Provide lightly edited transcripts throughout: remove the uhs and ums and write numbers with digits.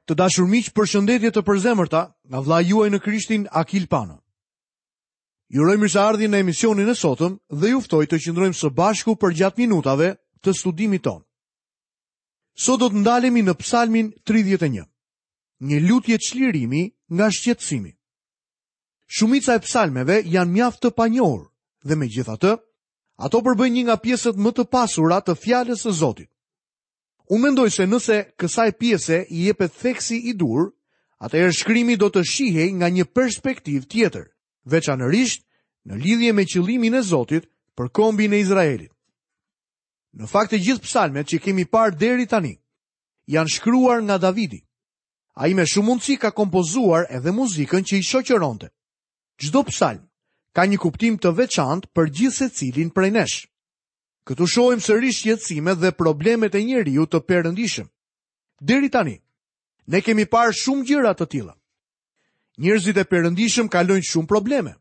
Të dashur miq, përshëndetje të përzemërta nga vëllai juaj në Krishtin Akil Pano. Ju uroj mirëseardhjen në emisionin e sotëm dhe ju ftoj të qëndrojmë së bashku përgjatë minutave të studimit tonë. Sot do të ndalemi në Psalmin 31. Një lutje çlirimi nga shqetësimi. Shumica e psalmeve janë mjaft të panjohur dhe megjithatë, ato përbëjnë një nga pjesët më të pasura të fjalës së Zotit. Unë mendoj se nëse kësaj pjese i jepet theksi i duhur, atëherë shkrimi do të shihej nga një perspektivë tjetër, veçanërisht në lidhje me qëllimin e Zotit për kombin e Izraelit. Në fakt të gjithë psalmet që kemi parë deri tani janë shkruar nga Davidi. Ai me shumë mundësi ka kompozuar edhe muzikën që i shoqëronte. Çdo psalm ka një kuptim të veçantë për gjithsecilin prej nesh. Këtu shohim sërish shqetësimet dhe problemet e njeriut të perëndishëm. Deri tani, ne kemi parë shumë gjëra të tilla. Njerëzit e perëndishëm kalojnë shumë probleme.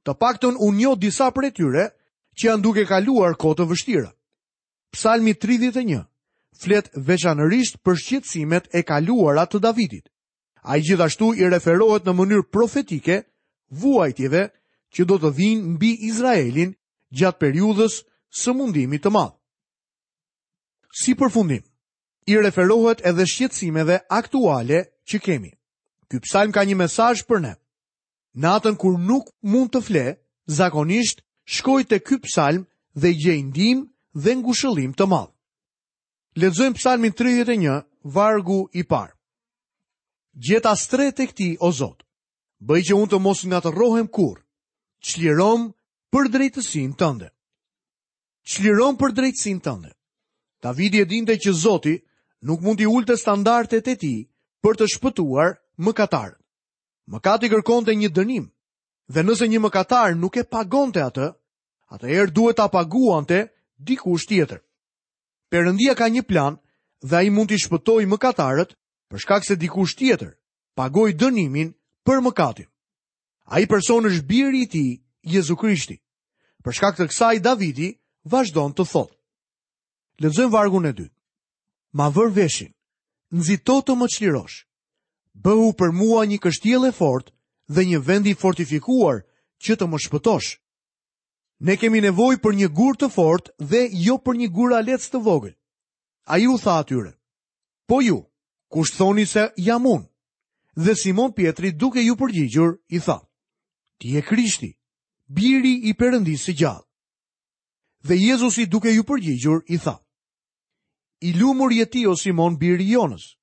Të paktën unë njoh disa prej tyre që janë duke kaluar kohë të vështira. Psalmi 31 flet veçanërisht për shqetësimet e kaluara të Davidit. Ai gjithashtu i referohet në mënyrë profetike vuajtjeve që do të vijnë mbi Izraelin gjatë periudhës së mundimit të madh. Si përfundim, i referohet edhe shqetësimeve aktuale që kemi. Ky psalm ka një mesazh për ne. Natën kur nuk mund të fle, zakonisht shkoj te ky psalm dhe gjej ndihmë dhe ngushëllim të madh. Lexojmë psalmin 31, vargu i parë. Gjeta strehë tek ti, o Zot. Bëj që unë të mos ngatërrohem kurrë. Çliromë për drejtësinë tënde. Çliromë për drejtësinë tënde. Davidi e dinte që Zoti nuk mund t'i ulte standardet e tij për të shpëtuar mëkatarët. Mëkati kërkonte një dënim, dhe nëse një mëkatar nuk e pagonte atë, atëherë duhet ta paguante dikush tjetër. Perëndia ka një plan dhe ai mund t'i shpëtojë mëkatarët për shkak se dikush tjetër pagoi dënimin për mëkatin. Ai person është biri i tij, Jezu Krishti. Për shkak të kësaj Davidi vazhdon të thotë. Lexojmë vargun e dytë. Ma vër veshin, nxito të më çlirosh. Bëhu për mua një kështjellë e fortë dhe një vend i fortifikuar që të më shpëtosh. Ne kemi nevojë për një gur të fortë dhe jo për një guralec të vogël. Ai u tha atyre, Po ju, kush thoni se jam unë? Dhe Simon Pjetri duke iu përgjigjur, i tha, Ti je Krishti, biri i Perëndisë së gjallë. Dhe Jezusi duke iu përgjigjur, i tha, I lumur je ti o Simon biri i Jonës,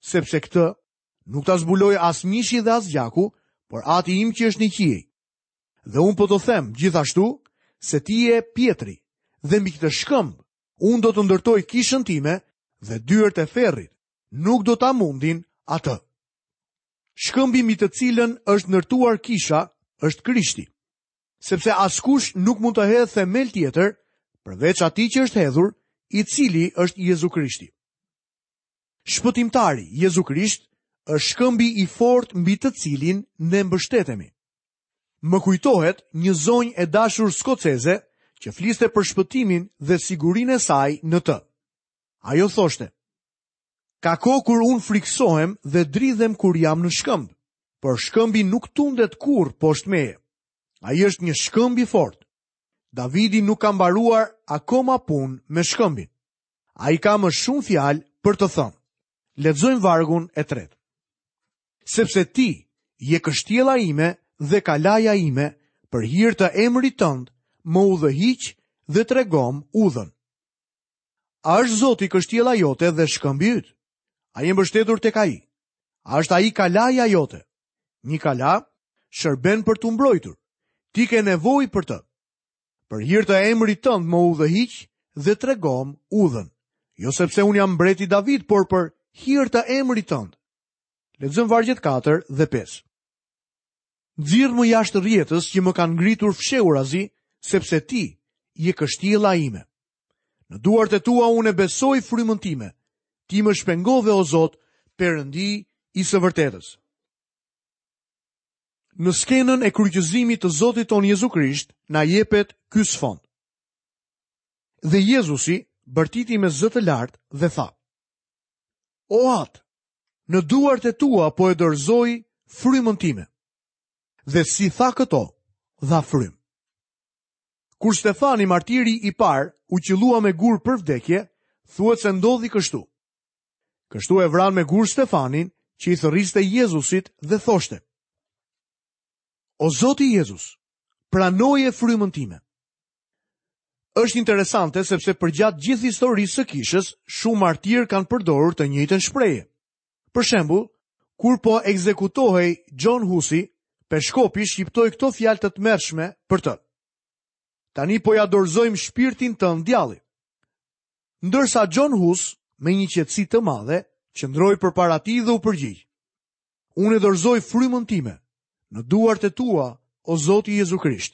sepse këtë nuk ta zbuloi as mishi dhe as gjaku, por ati im që është në qiej. Dhe unë po të them gjithashtu se ti je Pjetri, dhe mbi këtë shkëmb Unë do të ndërtoj kishën time dhe dyert e ferrit nuk do ta mundin atë. Shkëmbi mbi të cilën është ndërtuar kisha është Krishti. Sepse askush nuk mund të hedhë themel tjetër përveç atij që është hedhur, i cili është Jezu Krishti. Shpëtimtari Jezu Krisht është shkëmbi i fortë mbi të cilin ne mbështetemi. Më kujtohet një zonjë e dashur skoceze që fliste për shpëtimin dhe sigurinë e saj në të. Ajo thoshte, ka kohë kur unë frikësohem dhe dridhem kur jam në shkëmb, por shkëmbi nuk tundet kurrë poshtë meje. Ai është një shkëmb i fortë. Davidi nuk ka mbaruar akoma punë me shkëmbin. Ai ka më shumë fjalë për të thënë. Lexojmë vargun e tretë. Sepse ti je kështjella ime dhe kalaja ime, për hir të emrit tënd, më udhëhiq dhe tregomë udhën. A është Zoti kështjella jote dhe shkëmbi yt? A je mbështetur tek ai? A është ai kalaja jote? Një kala shërben për t'u mbrojtur. Ti ke nevojë për të. Për hir të emrit tënd më udhëhiq dhe tregomë udhën. Jo sepse unë jam mbreti David, por për hir të emrit tënd. Lexojmë vargjet 4 dhe 5. Nxirrmë jashtë rrjetës që më kanë ngritur fshehurazi, sepse ti je kështjella ime. Në duart e tua unë e besoj frymën time. Ti më shpengove o Zot, Perëndi i së vërtetës. Në skenën e kryqëzimit të Zotit tonë Jezu Krisht na jepet ky sfond. Dhe Jezusi bërtiti me zë të lartë dhe tha: O Atë, Në duart e tua po e dorëzoj frymën time. Dhe si tha këto, dha frymë. Kur Stefani, martiri i parë, u qëllua me gur për vdekje, thuhet se ndodhi kështu. Kështu e vranë me gur Stefanin, që i thërriste Jezusit dhe thoshte: O Zoti Jezus, pranoje frymën time. Është interesante sepse përgjatë gjithë historisë së kishës, shumë martirë kanë përdorur të njëjtën shprehje. Për shembull, kur po ekzekutohej John Husi, peshkopi shqiptoi këto fjalë të tmerrshme për të. Tani po ia dorëzojmë shpirtin tënd djallit. Ndërsa John Hus, me një qetësi të madhe, qëndroi përpara tij dhe u përgjigj. Unë e dorëzoj frymën time në duart e tua, o Zoti Jezu Krisht.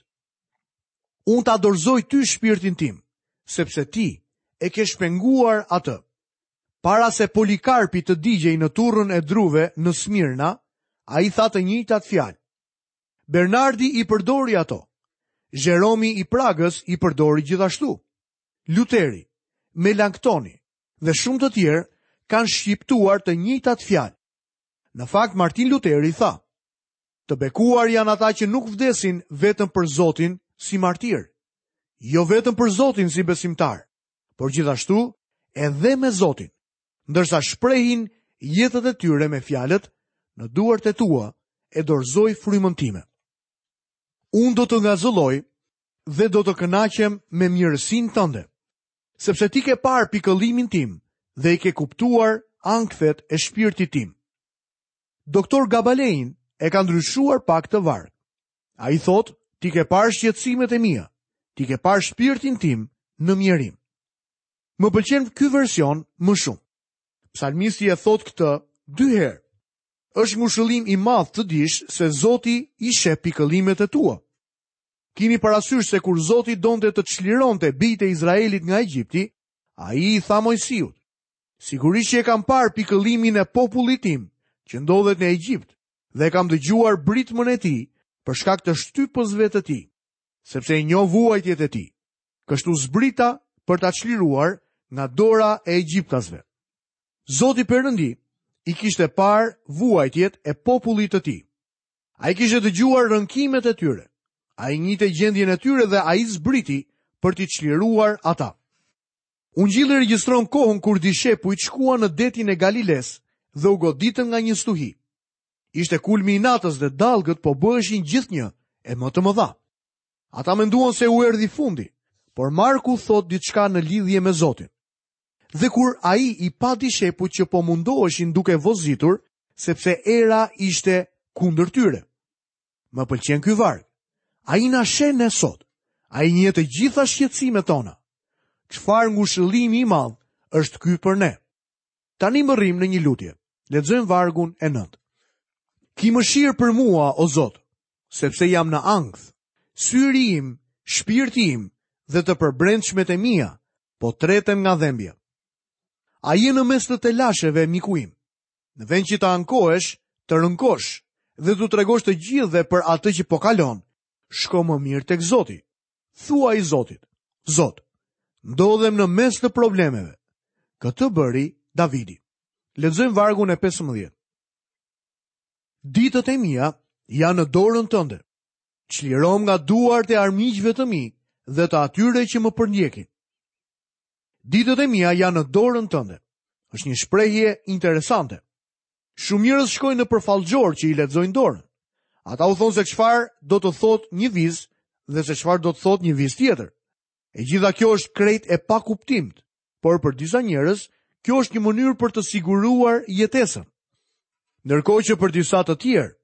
Unë ta dorëzoj ty shpirtin tim, sepse ti e ke shpenguar atë. Para se Polikarpi të digjej në turrën e druve në Smirna, ai tha të njëjtat fjalë. Bernardi i përdori ato. Jeromi i Pragës i përdori gjithashtu. Luteri, Melanktoni dhe shumë të tjerë kanë shqiptuar të njëjtat fjalë. Në fakt Martin Luteri tha: Të bekuar janë ata që nuk vdesin vetëm për Zotin si martirë, jo vetëm për Zotin si besimtarë, por gjithashtu edhe me Zotin, ndërsa shprehin jetët e tyre me fjalët në duart e tua e dorëzoj frymën time. Unë do të ngazëlloj dhe do të kënaqem me mirësinë tënde, sepse ti ke parë pikëllimin tim dhe i ke kuptuar ankthet e shpirtit tim. Doktor Gabalein e ka ndryshuar pak këtë varg. Ai thotë, ti ke parë shqetësimet e mia, ti ke parë shpirtin tim në mjerim. Më pëlqen ky version më shumë. Psalmisti e thotë këtë dy herë. Është ngushëllim i madh të dish se Zoti i sheh pikëllimet e tua. Kini parasysh se kur Zoti donte të çlironte bijtë e Izraelit nga Egjipti, ai i tha Moisiut: Sigurisht që e kam parë pikëllimin e popullit tim, që ndodhet në Egjipt, dhe e kam dëgjuar britmën e tij për shkak të shtypësve të tij, sepse i njoh vuajtjet e tij. Kështu zbrita për ta çliruar nga dora e egjiptasve. Zoti Perëndi i kishte parë vuajtjet e popullit të tij. Ai kishte dëgjuar rënkimet e tyre. Ai njihte gjendjen e tyre dhe ai zbriti për t'i çliruar ata. Ungjilli regjistron kohën kur dishepujt shkuan në detin e Galilesë dhe u goditën nga një stuhi. Ishte kulmi i natës dhe dallgët po bëheshin gjithnjë e më të mëdha. Ata menduan se u erdhi fundi, por Marku thotë diçka në lidhje me Zotin. Dhe kur ai i pa dishepujt që po mundoheshin duke vozitur, sepse era ishte kundër tyre. Më pëlqen ky varg. Ai na sheh ne sot. Ai njeh të gjitha shqetësimet tona. Çfarë ngushëllimi i madh është ky për ne. Tani mbërrijmë në një lutje. Lexojmë vargun e 9. Ki mëshirë për mua, o Zot, sepse jam në ankth. Syri im, shpirti im dhe të përbrendshmet e mia po treten nga dhembja. A je në mes të telasheve, miku im? Në vend që të ankohesh, të rënkosh dhe t'u tregosh të gjithëve për atë që po kalon, shko më mirë tek Zoti. Thuaji Zotit, Zot, ndodhem në mes të problemeve. Këtë bëri Davidi. Lexojmë vargun e 15. Ditët e mia janë në dorën tënde. Çliromë nga duart e armiqve të mi dhe të atyre që më përndjekin. Ditët e mia janë në dorën tënde. Është një shprehje interesante. Shumë njerëz shkojnë nëpër fallxhorë që i lexojnë dorën. Ata u thonë se çfarë do të thotë një vizë dhe se çfarë do të thotë një vizë tjetër. E gjitha kjo është krejt e pakuptimtë, por për disa njerëz kjo është një mënyrë për të siguruar jetesën. Ndërkohë që për disa të tjerë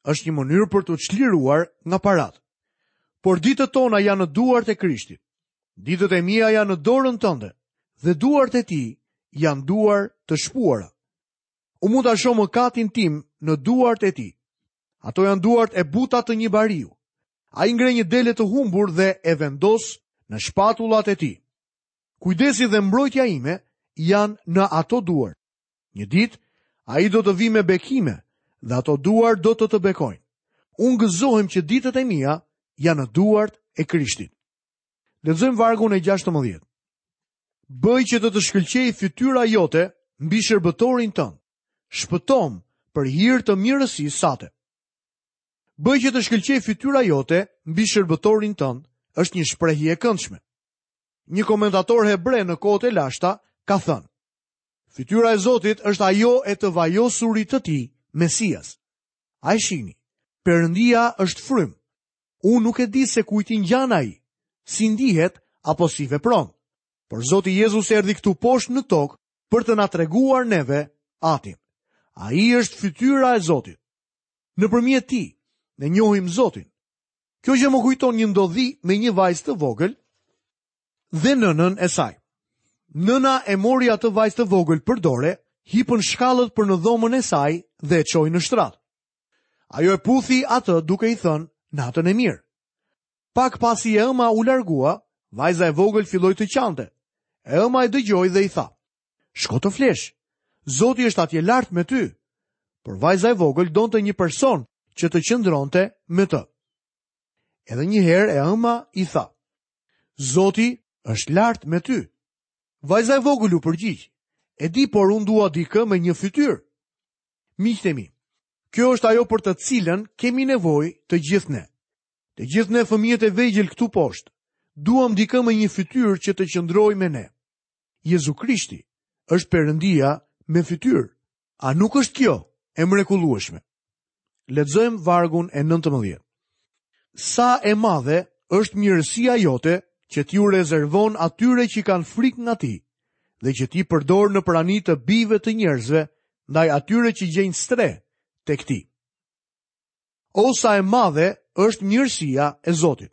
është një mënyrë për t'u çliruar nga paratë. Por ditët tona janë në duart e Krishtit. Ditët e mia janë në dorën tënde dhe duart e tij janë duar të shpuara. Unë mund ta shoh mëkatin tim në duart e tij. Ato janë duart e buta të një bariu. Ai ngre një dele të humbur dhe e vendos në shpatullat e tij. Kujdesi dhe mbrojtja ime janë në ato duar. Një ditë, ai do të vijë me bekime dhe ato duar do të të bekojnë. Unë gëzohem që ditët e mia janë në duart e Krishtit. Lexojmë vargun e 16. Bëj që të të shkëlqejë fytyra jote mbi shërbëtorin tënd. Shpëtomë për hir të mirësisë sate. Bëj që të shkëlqejë fytyra jote mbi shërbëtorin tënd, është një shprehje e këndshme. Një komentator hebre në kohët e lashta ka thënë: Fytyra e Zotit është ajo e të vajosurit të tij, Mesias. A e shihni? Perëndia është frymë. Unë nuk e di se kujt i ngjan ai, si ndihet apo si vepron. Por Zoti Jezus erdhi këtu poshtë në tokë për të na treguar neve Atin. Ai është fytyra e Zotit. Nëpërmjet tij, ne njohim Zotin. Kjo gjë më kujton një ndodhi me një vajzë të vogël dhe nënën e saj. Nëna e mori atë vajzë të vogël për dore, hipën shkallët për në dhomën e saj dhe e çoi në shtrat. Ajo e puthi atë duke i thënë natën e mirë. Pak pasi e ëma u largua, vajza e vogël filloi të qante. E ëma e dëgjoi dhe i tha: "Shko të flesh. Zoti është atje lart me ty." Por vajza e vogël donte një person që të qëndronte me të. Edhe një herë e ëma i tha: Zoti është lart me ty. Vajza e vogël u përgjigj: E di, por unë dua dikë me një fytyrë. Miqtë e mi, kjo është ajo për të cilën kemi nevojë të gjithë ne. Të gjithë ne fëmijët e vegjël këtu poshtë, duam dikë me një fytyrë që të qëndrojë me ne. Jezu Krishti është Perëndia me fytyrë. A nuk është kjo e mrekullueshme? Lexojmë vargun e 19. Sa e madhe është mirësia jote që ti u rezervon atyre që kanë frikë nga ti dhe që ti përdor në prani të bijve të njerëzve ndaj atyre që gjejnë strehë tek ti. O sa e madhe është mirësia e Zotit.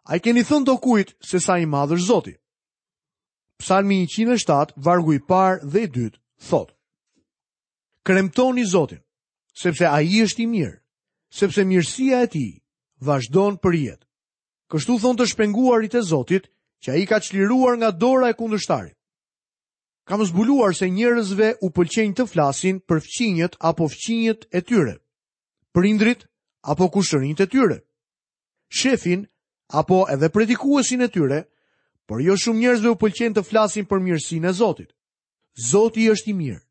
A i keni thënë dokujt se sa i madh është Zoti? Psalmi 107, vargu i parë dhe i dytë, thotë. Kremtoni Zotin, sepse ai është i mirë, sepse mirësia e tij vazhdon përjetë. Kështu thonë të shpenguarit e Zotit, që ai ka çliruar nga dora e kundërshtarit. Kam zbuluar se njerëzve u pëlqejnë të flasin për fqinjët apo fqinjët e tyre, prindërit apo kushërinjtë e tyre, shefin apo edhe predikuesin e tyre, por jo shumë njerëzve u pëlqen të flasin për mirësinë e Zotit. Zoti është i mirë.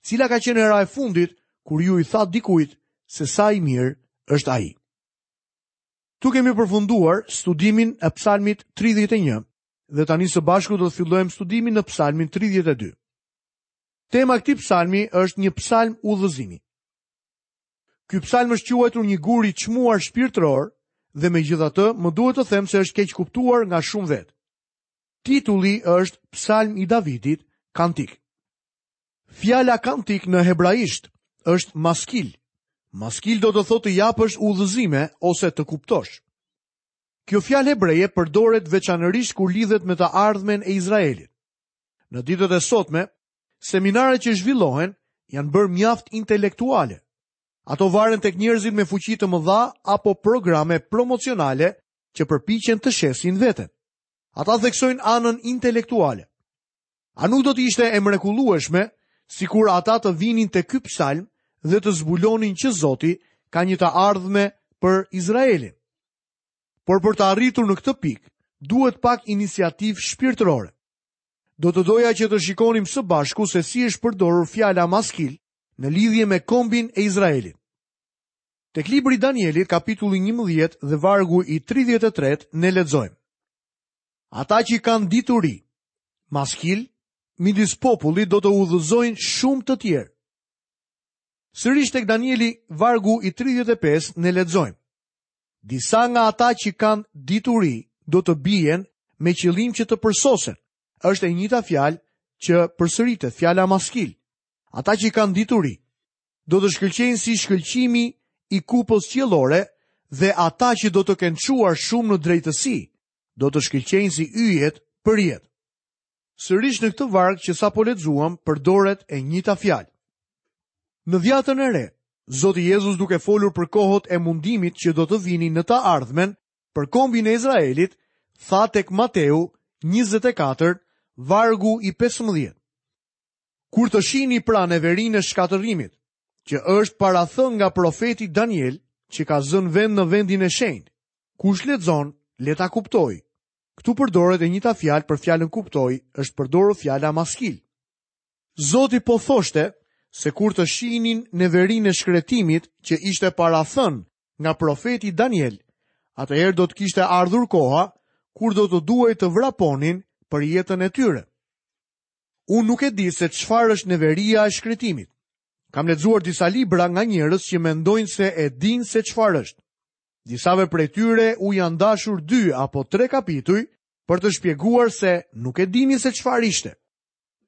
Cila ka qenë hera e fundit kur ju i thatë dikujt se sa i mirë është ai? Këtu kemi përfunduar studimin e Psalmit 31 dhe tani së bashku do të fillojmë studimin në Psalmin 32. Tema e këtij psalmi është një psalm udhëzimi. Ky psalm është quajtur një gur i çmuar shpirtëror dhe megjithatë më duhet të them se është keqkuptuar nga shumë vetë. Titulli është Psalm i Davidit, kantik. Fjala kantik në hebraisht është maskil. Maskil do të thotë të japësh udhëzime ose të kuptosh. Kjo fjalë hebreje përdoret veçanërisht kur lidhet me të ardhmen e Izraelit. Në ditët e sotme, seminaret që zhvillohen janë bërë mjaft intelektuale. Ato varen tek njerëzit me fuqi të mëdha apo programe promocionale që përpiqen të shesin veten. Ata theksojnë anën intelektuale. A nuk do të ishte e mrekullueshme sikur ata të vinin te ky psalm dhe të zbulonin që Zoti ka një të ardhme për Izraelin? Por për të arritur në këtë pikë, duhet pak iniciativë shpirtërore. Do të doja që të shikonim së bashku se si është përdorur fjala maskil në lidhje me kombin e Izraelit. Tek libri i Danielit, kapitulli 11 dhe vargu i 33, ne lexojmë. Ata që kanë dituri, maskil, midis popullit do të udhëzojnë shumë të tjerë. Sërish tek Danieli, vargu i 35, ne lexojmë. Disa nga ata që kanë dituri do të bien me qëllim që të përsosen. Është e njëjta fjalë që përsëritet, fjala maskil. Ata që kanë dituri do të shkëlqejnë si shkëlqimi i kupës qiellore dhe ata që do të kenë çuar shumë në drejtësi do të shkëlqejnë si yjet përjetë. Sërish në këtë varg që sapo lexuam përdoret e njëjta fjalë. Në dhjatën e re, Zoti Jezus duke folur për kohët e mundimit që do të vinin në të ardhmen për kombin e Izraelit, tha tek Mateu 24, vargu i 15. Kur të shihni pra neverinë e shkatërrimit, që është parathënë nga profeti Daniel, që ka zënë vend në vendin e shenjtë, kush lexon, le ta kuptojë. Këtu përdoret e njëjta fjalë për fjalën kuptoj, është përdorur fjala maskil. Zoti po thoshte se kur të shihnin neverinë e shkretimit që ishte parathënë nga profeti Daniel, atëherë do të kishte ardhur koha kur do të duhej të vraponin për jetën e tyre. Unë nuk e di se çfarë është neveria e shkretimit. Kam lexuar disa libra nga njerëz që mendojnë se e dinë se çfarë është. Disave prej tyre u janë dashur dy apo tre kapituj për të shpjeguar se nuk e dinin se çfarë ishte.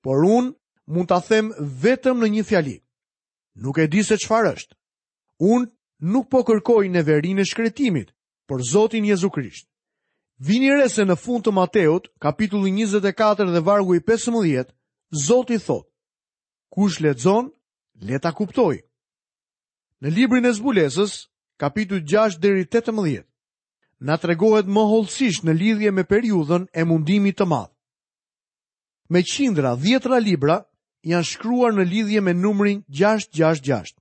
Por unë mund ta them vetëm në një fjali. Nuk e di se çfarë është. Unë nuk po kërkoj neverinë e shkretimit, por Zotin Jezu Krisht. Vini re se në fund të Mateut, kapitulli 24 dhe vargu i 15, Zoti thotë: Kush lexon, le ta kuptojë. Në librin e Zbulesës, kapitujt 6 deri 18, na tregohet më hollësisht në lidhje me periudhën e mundimit të madh. Me qindra, dhjetra libra janë shkruar në lidhje me numrin 666.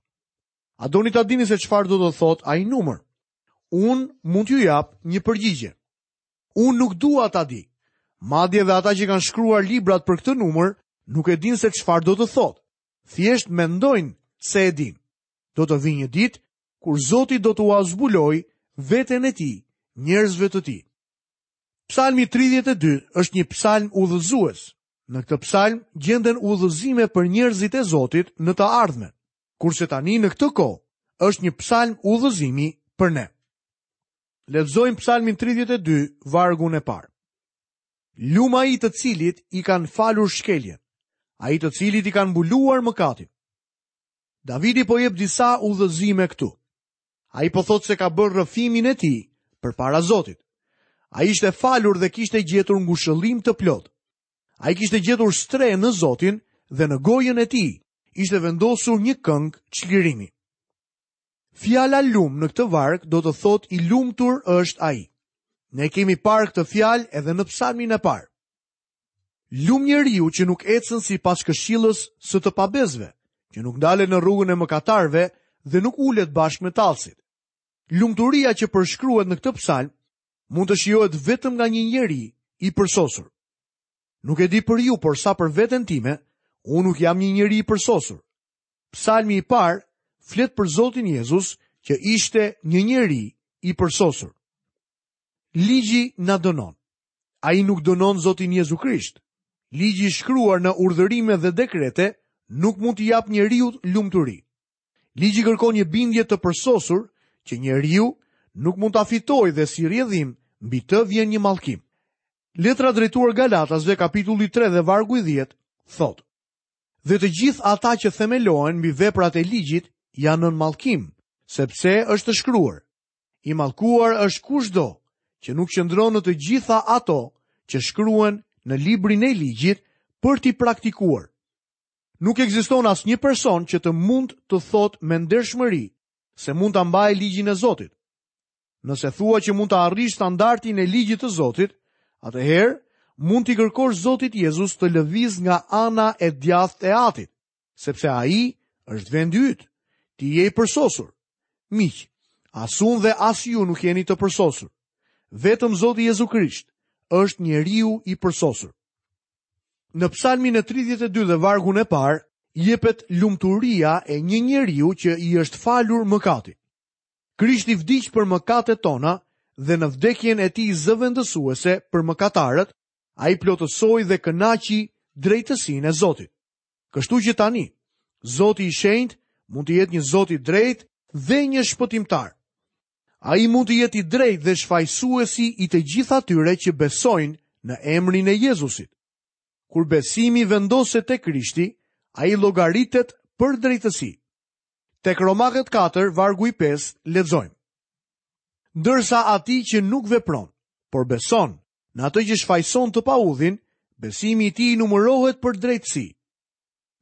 A doni ta dini se çfarë do të thotë ai numër? Unë mund t'ju jap një përgjigje. Unë nuk dua ta di. Madje dhe ata që kanë shkruar librat për këtë numër nuk e dinë se çfarë do të thotë. Thjesht mendojnë se e dinë. Do të vijë një ditë kur Zoti do t'ua zbulojë veten e tij njerëzve të tij. Psalmi 32 është një psalm udhëzues. Në këtë psalm gjenden udhëzime për njerëzit e Zotit në të ardhmen. Kurse tani në këtë kohë është një psalm udhëzimi për ne. Lexojmë psalmin 32, vargun e parë. Lum ai të cilit i kanë falur shkeljen, ai të cilit i kanë mbuluar mëkatin. Davidi po jep disa udhëzime këtu. Ai po thotë se ka bërë rrëfimin e tij përpara Zotit. Ai ishte falur dhe kishte gjetur ngushëllim të plotë. Ai kishte gjetur strehë në Zotin dhe në gojën e tij ishte vendosur një këngë çlirimi. Fjala lum në këtë varg do të thotë i lumtur është ai. Ne kemi parë këtë fjalë edhe në psalmin e parë. Lum njeriu që nuk ecën sipas këshillës së të pabesëve, që nuk ndalet në rrugën e mëkatarëve dhe nuk ulet bashkë me tallësit. Lumturia që përshkruhet në këtë psalm mund të shijohet vetëm nga një njeri i përsosur. Nuk e di për ju, por sa për veten time, unë nuk jam një njeri i përsosur. Psalmi i parë flet për Zotin Jezus që ishte një njeri i përsosur. Ligji na dënon. Ai nuk dënon Zotin Jezu Krisht. Ligji i shkruar në urdhërime dhe dekrete nuk mund t'i japë njeriut lumturi. Ligji kërkon një bindje të përsosur që njeriu nuk mund ta fitojë dhe si rrjedhim mbi të vjen një mallkim. Letra drejtuar Galatasve kapitulli 3 dhe vargu i 10 thotë: Dhe të gjithë ata që themelohen mbi veprat e ligjit janë nën mallkim, sepse është shkruar: I mallkuar është kushdo që nuk qëndron në të gjitha ato që shkruhen në librin e ligjit për t'i praktikuar. Nuk ekziston asnjë person që të mund të thotë me ndershmëri se mund ta mbajë ligjin e Zotit. Nëse thua që mund të arrish standardin e ligjit të Zotit, atëherë mund t'i kërkosh Zotit Jezus të lëvizë nga ana e djathtë e Atit. sepse ai është vendi yt. Ti je i përsosur. Miq, as unë dhe as ju nuk jeni të përsosur. Vetëm Zoti Jezu Krisht është njeriu i përsosur. Në Psalmin e 32 dhe vargun e parë jepet lumturia e një njeriu që i është falur mëkati. Krishti vdiq për mëkatet tona dhe në vdekjen e tij zëvendësuese për mëkatarët, ai plotësoi dhe kënaqi drejtësinë e Zotit. Kështu që tani, Zoti i shenjtë mund të jetë një Zot i drejtë dhe një shpëtimtar. Ai mund të jetë i drejtë dhe shfajësuesi i të gjithë atyre që besojnë në emrin e Jezusit. Kur besimi vendoset te Krishti, ai llogaritet për drejtësi. Tek Romakët 4, vargu i 5, lexojmë. Ndërsa atij që nuk vepron, por beson Në atë që shfajëson të paudhin, besimi i tij numërohet për drejtësi.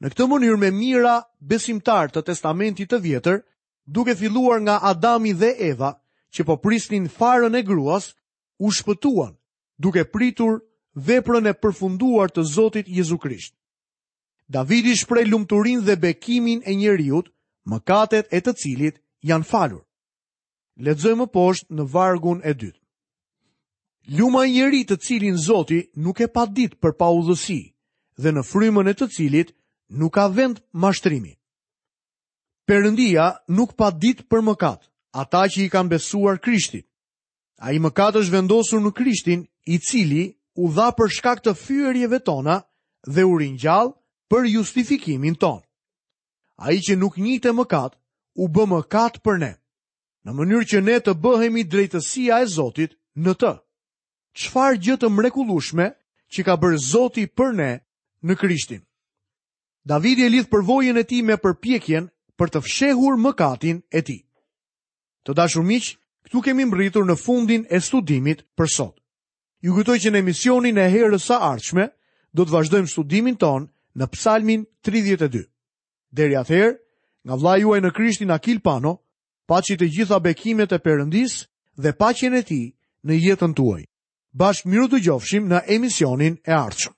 Në këtë mënyrë me mijëra besimtarë të Testamentit të Vjetër, duke filluar nga Adami dhe Eva, që po prisnin farën e gruas, u shpëtuan, duke pritur veprën e përfunduar të Zotit Jezu Krisht. Davidi shpreh lumturinë dhe bekimin e njeriut, mëkatet e të cilit janë falur. Lexojmë më poshtë në vargun e dytë. Lum ai njeri të cilin Zoti nuk e padit për paudhësi dhe në frymën e të cilit nuk ka vend mashtrimi. Perëndia nuk padit për mëkat ata që i kanë besuar Krishtit. Ai mëkat është vendosur në Krishtin, i cili u dha për shkak të fyerjeve tona dhe u ringjall për justifikimin tonë. Ai që nuk njihte mëkat, u bë mëkat për ne, në mënyrë që ne të bëhemi drejtësia e Zotit në të. Çfarë gjë të mrekullueshme që ka bërë Zoti për ne në Krishtin. Davidi e lidh përvojën e tij me përpjekjen për të fshehur mëkatin e tij. Të dashur miq, këtu kemi mbërritur në fundin e studimit për sot. Ju kujtoj që në emisionin e herës së ardhshme do të vazhdojmë studimin tonë në Psalmin 32. Deri atëherë, nga vëllai juaj në Krishtin Akil Pano, paçi të gjitha bekimet e Perëndisë dhe paqen e tij në jetën tuaj. Bashkë mirudëgjofshim në emisionin e ardhshëm.